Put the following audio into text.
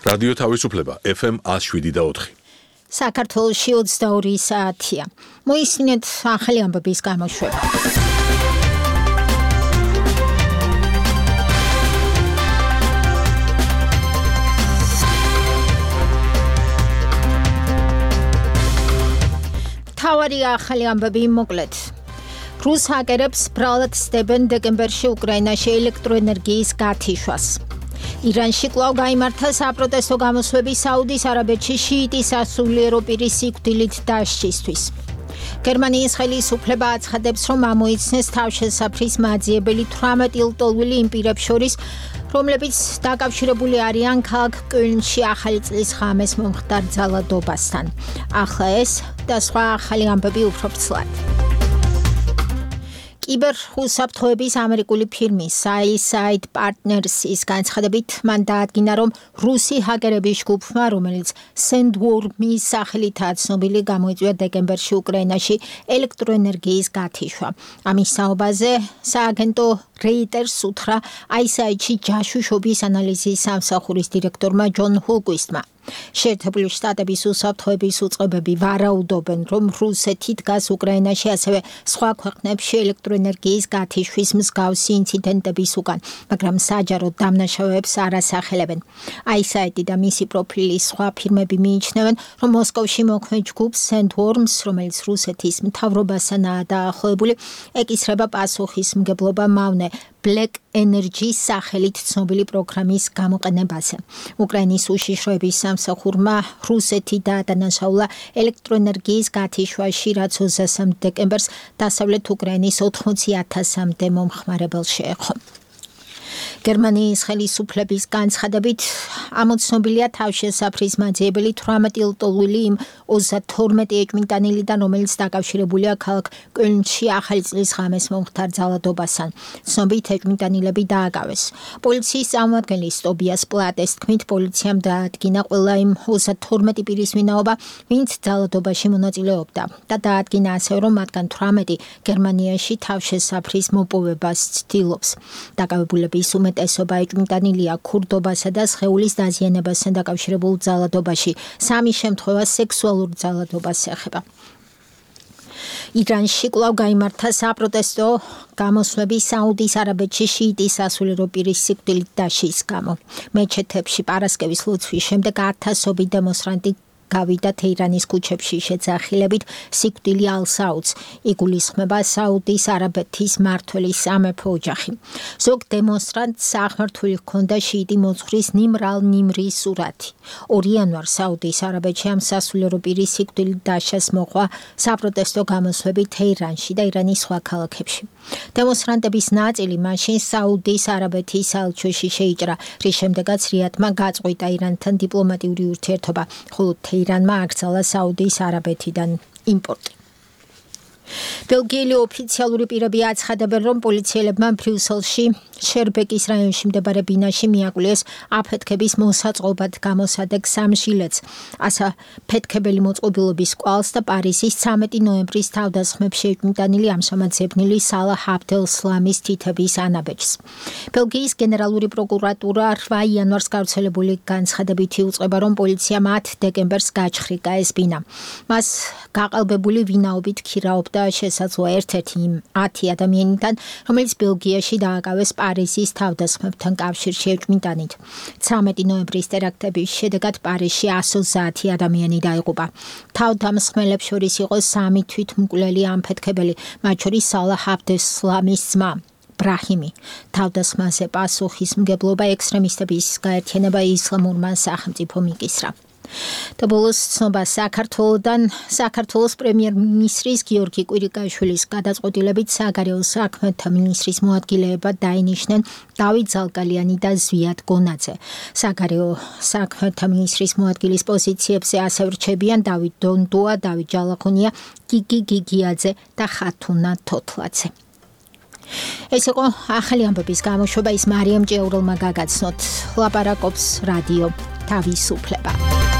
რადიო თავისუფლება FM 107.4. საქართველოში 22 საათია. მოისმინეთ ახალი ამბების გამოშვება. თავარი ახალი ამბები მოკლედ. რუს ჰაკერებს ბრალად სდებენ დეკემბერში უკრაინაში ელექტროენერგიის გათიშვას. ირანში კვლავ გაიმართა საპროტესტო გამოსვლები საუდის არაბეთში შიიტის ასულიერო პირის სიკვდილით დასჯისთვის. გერმანიის ხელისუფლება აცხადებს, რომ ამოიცნეს თავშესაფრის მაძიებელი 18 ლტოლვილი იმ პირებს შორის, რომლებიც დაკავშირებული არიან ქალაქ კოლნში ახალი წლის ღამეს მომხდარ ძალადობასთან. ახლა ეს და სხვა ახალი ამბები უფრო ფცლად. კიბერუსაფრთხოების ამერიკული ფირმის Eyesight Partners-ის განცხადებით მან დაადგინა, რომ რუსი ჰაკერების ჯგუფმა, რომელიც Sandworm-ის სახელითაა ცნობილი, გამოიწვია დეკემბერში უკრაინაში ელექტროენერგიის გათიშვა. ამის საუბაზე სააგენტო Reuters უთხრა Eyesight-ში ჯაშუშობის ანალიზის სამსახურის დირექტორმა ჯონ ჰულკვისტმა. შეერთებული შტატების უსაფრთხოების უწყებები ვარაუდობენ, რომ რუსეთი დგას უკრაინაში ასევე სხვა ქვეყნებში ელექტროენერგიის გათიშვის მსგავსი ინციდენტების უკან, მაგრამ საჯარო დამნაშავეებს არ ასახელებენ. Eyesight და მისი პროფილის სხვა ფირმები მიიჩნევენ, რომ მოსკოვში მოქმედ ჯგუფს Sandworms, რომელიც რუსეთის მთავრობასანაა დაახლოებული, ეკისრება პასუხისმგებლობა მავნე Black Energy-ის სახელით ცნობილი პროგრამის გამოყენებაზე. უკრაინის უშიშროების სამსახურმა რუსეთი დაადანაშაულა ელექტროენერგიის გათიშვაში, რაც 23 დეკემბერს დასავლეთ უკრაინის 80,000-მდე მომხმარებელს შეეხო. გერმანიის ხელისუფლების განცხადებით ამოცნობილია თავშესაფრის მაძიებელი 18 ლტოლვილი იმ 32 ეჭვმიტანილიდან, რომელიც დაკავშირებულია ქალაქ კოლნში ახალი წლის ღამეს მომხდარ ძალადობასთან. ცნობით ეჭვმიტანილები დააკავეს. პოლიციის წარმომადგენლის ტობიას პლატეს თქმით, პოლიციამ დაადგინა ყველა იმ 32 პირის ვინაობა, ვინც ძალადობაში მონაწილეობდა და დაადგინა ასევე, რომ მათგან 18 გერმანიაში თავშესაფრის მოპოვებას ცდილობს. დაკავებულების უმეტესობა ეჭვმიტანილია ქურდობასა და სხეულის დაზიანებასთან დაკავშირებულ ძალადობაში. 3 შემთხვევა სექსუალურ ძალადობას ეხება. ირანში კვლავ გაიმართა საპროტესტო გამოსვლები საუდის არაბეთში შიიტის ასულიერო პირის სიკვდილით დასჯის გამო. მეჩეთებში პარასკევის ლოცვის შემდეგ ათასობით დემონსტრანტი გავიდა თეირანის ქუჩებში შეძახილებით სიკვდილი ალ-საუდს. იგულისხმება საუდის არაბეთის მმართველის სამეფო ოჯახი. ზოგ დემონსტრანტს აღმართული ჰქონდა შიიტი მოძღვრის ნიმრ ალ-ნიმრის სურათი. 2 იანვარს საუდის არაბეთში ამ სასულიერო პირის სიკვდილით დასჯას მოყვა საპროტესტო გამოსვლები თეირანში და ირანის სხვა ქალაქებში. დემონსტრანტების ნაწილი მაშინ საუდის არაბეთის საელჩოში შეიჭრა, რის შემდეგაც რიადმა გაწყვიტა ირანთან დიპლომატიური ურთიერთობა, ხოლო ირანმა აკრძალა საუდის არაბეთიდან იმპორტი. ბელგიელი ოფიციალური პირები აცხადებენ, რომ პოლიციელებმა ბრიუსელში შერბეკის რაიონში მდებარე ბინაში მიაკვლიეს აფეთქების მოსაწყობად გამოსადეგ 3 ჟილეტს, ასაფეთქებელი მოწყობილობის კვალს და პარიზის 13 ნოემბრის თავდასხმებში ეჭვმიტანილი ამჟამად ზებნილი სალაჰ აბდელ-სლამის თითების ანაბეჭს. ბელგიის გენერალური პროკურატურა 8 იანვარს გავრცელებული განცხადებით იუწყება, რომ პოლიციამ 10 დეკემბერს გაჩხრიკა ეს ბინა. მას გაყალბებული ვინაობით ქირაობდა შესაძლოა ერთ-ერთი იმ 10 ადამიანიდან, რომელიც ბელგიაში დააკავეს პარიზის თავდასხმებთან კავშირში ეჭვმიტანით. 13 ნოემბრის ტერაქტების შედეგად პარიზში 130 ადამიანი დაიღუპა. თავდამსხმელებს შორის იყო 3 თვითმკვლელი ამფეთქებელი, მათ შორის სალაჰ აბდელ-სლამის ძმა ბრაჰიმი. თავდასხმაზე პასუხისმგებლობა ექსტრემისტების გაერთიანება ისლამურმა სახელმწიფომ იკისრა. და ბოლოს ცნობა საქართველოდან. საქართველოს პრემიერ-მინისტრის გიორგი კვირიკაშვილის გადაწყვეტილებით საგარეო საქმეთა მინისტრის მოადგილეებად დაინიშნენ დავით ზალკალიანი და ზვიად გონაძე. საგარეო საქმეთა მინისტრის მოადგილის პოზიციებზე ასევე რჩებიან დავით დონდუა, დავით ჯალახონია, გიგი გიგიაძე და ხათუნა თოთლაძე. ეს იყო ახალი ამბების გამოშვება, ის მარიამ ჭეურელმა გაგაცნოთ. ლაპარაკობს რადიო თავისუფლება.